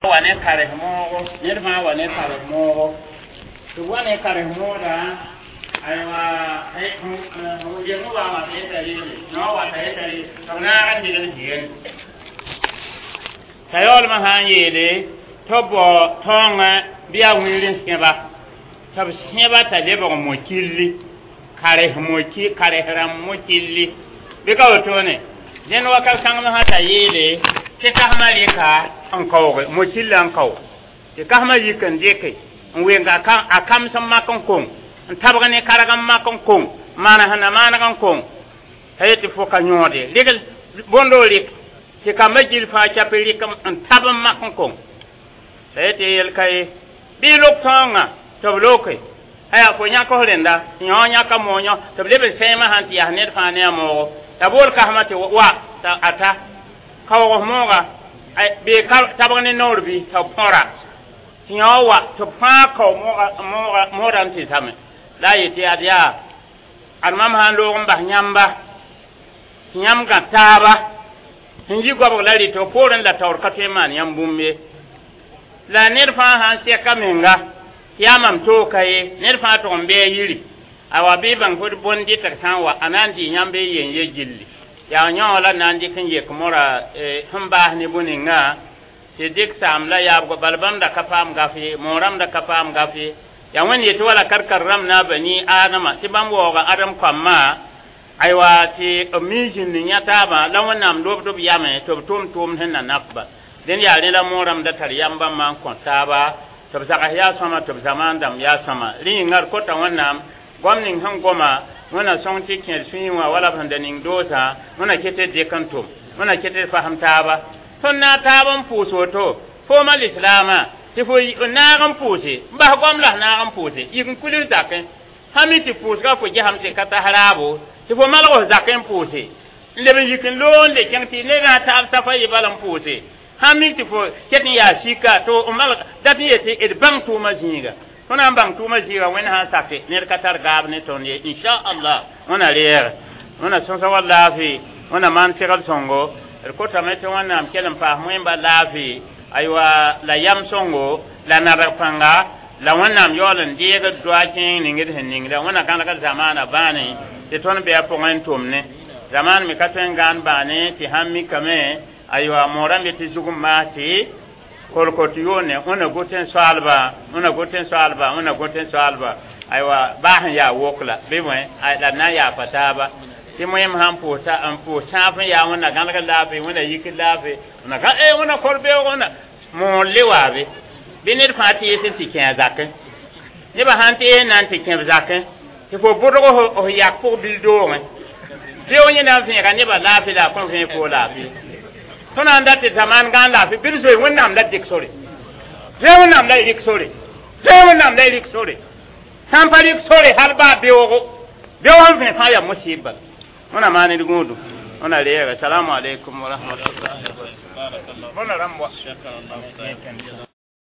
Wa ne kares moogo, ned fãa wa ne kares moogo, tɩ b wa ne kares mooda. Aywa, yem wa wa t'a yeta reele no wa t'a yeta re tɩ b naag n dɩgl zɩgẽ t'a yaoolmã sã n yeele tɩ b bao taoongã bɩ yaa wĩir n sẽba tɩ b sẽba t'a lebg mo-killi kares moki kares rãmb mo-killi bɩ ka wotone. Dẽnd wakat kãng sã t'a yeele tɩ kasmã rɩka n kaooge mo-killã n kao tɩ kasmã yik n dɩke n wenga a kams n mak n kong n tabg ne karg n mak n kong maan sẽn na maaneg n kong t'a yet tɩ fo ka yõode rɩgl bõndo rɩk tɩ kambã gil fãa chape rɩk n tab n mak n kong t'a yet tɩ yel ka ye bɩ lok tõongã tɩ b loke aya fo yãk f rẽnda tɩ yõ yãka moog yõ tɩ b leb n sẽemã sãn tɩ yaa ned fãa ne a moogo t'a bool kasmã tɩ wa t'a ata kaoog mooga bɩ tabg ne noor bɩ t'a b põra tɩ yõ wa tɩ b fãa kao moodã n tɩ zame la a yetɩ ad yaa ad mam sã n loog n bas yãmba tɩ yãmb gã taaba sẽn yi goabg la rɩtg poorẽ la taoor ka tõe n maan yãmb bũmb ye la ned fãa sãn sɛka menga tɩ yaa mam tooka ye ned fãa tʋg n bɩ a yiri awa bɩ bãng fo bõn dɩtg sã n wa a na n dɩ yãmb y yen ye gilli yaa yõ la na n dɩk n yek mora sẽn baas ne bũ-ninga tɩ dɩk saam la yaabgo bal bãmb da ka paam gaf ye moorãmb da ka paam gaf ye yaa wẽnd yetɩ wala karkar rãmb na bani adama tɩ bãmb waooga adem kambã aywa tɩ b mi zĩnd n yã taabã la wẽnnaam lobd b yame tɩ b tʋʋm tʋʋmd sẽn na nafba dẽnd yaa rẽ la moorãmb da tar yam bãmbã n kõ taaba tɩ b zags yaa sõma tɩ b zamaan dãmb yaa sõma rẽ yĩnga d kota wẽnnaam goam ning sẽn goma wẽna sõng tɩ kẽer sũyẽ wã wala b sẽn da ning doosã wẽna ket d dɩk n tʋm wẽna ket d fasem taaba tõnd na taab n pʋʋs woto fooma lislaamã tɩ fo naag n pʋʋse n bas goam la naag n pʋʋse yik n kuls zakẽ sã mi tɩ pʋʋsga fo gesame tɩ ka tas raabo tɩ fo malg f zakẽ n pʋʋse n leb n yik n loog n le kẽng tɩ ned na taab safa yɩ bal n pʋʋse sã mik tɩ fo ket n yaa sika tɩ malg dat n yetɩ d bãng tʋʋmã zĩiga tõnd na n bãng tʋʋmã zĩiga wẽnd sã n sake ned ka tar gaab ne tõnd ye inchallah wẽna reeg wẽna sõsa wa laafɩ wẽna maan segl sõngo d kotame tɩ wẽnnaam kell n paas moẽmba laafɩ aywa la yam sõngo la nadg pãnga la wẽnnaam yaool n deegd doa kẽeng ning d sẽn ningda wẽnna gãnegd zamaana bãane tɩ tõnd bɩ a pʋgẽ n tʋmne zamaan me ka tõe n gãan bãane tɩ sãn mikame aywa moorã me tɩ zug n maas tɩ kolkot yoone wẽna got n soaalba wẽna got n soaalba wẽna got n soaalba aywa baa sẽn yaa wok la bɩ bõe la d na n yaafa taaba tɩ moẽm sãn pʋʋs n pʋʋs sãaf n yaa wẽnna gãneg laafɩ wẽnna yik laafɩ wẽnna gã e wẽnna kor beoog wẽnna moor le waabe bɩ ned fãa tɩ yet n tɩ kẽ a zakẽ nebã sãn tɩ n na n tɩ kẽ b zakẽ tɩ fo bʋdg f yak pʋg bil doogẽ beoog yẽ na n vẽega nebã laafɩ la a kõn vẽeg foo laafɩ tõnd na n dat tɩ zamaan gãan laafɩ bɩ d zoe wẽnnaam la dɩk sore zoe wẽnnaam la y rɩk sore zoe wẽnnaam la y rɩk sore sã n pa rɩk sore hal baa beoogo beoog sẽn vẽ fãa yaa musɩɩb wẽna maan d gũudu wẽna reega salamu aleykum wa rahmatullahi. بارك الله. Bõna rãmb wa. شكر الله.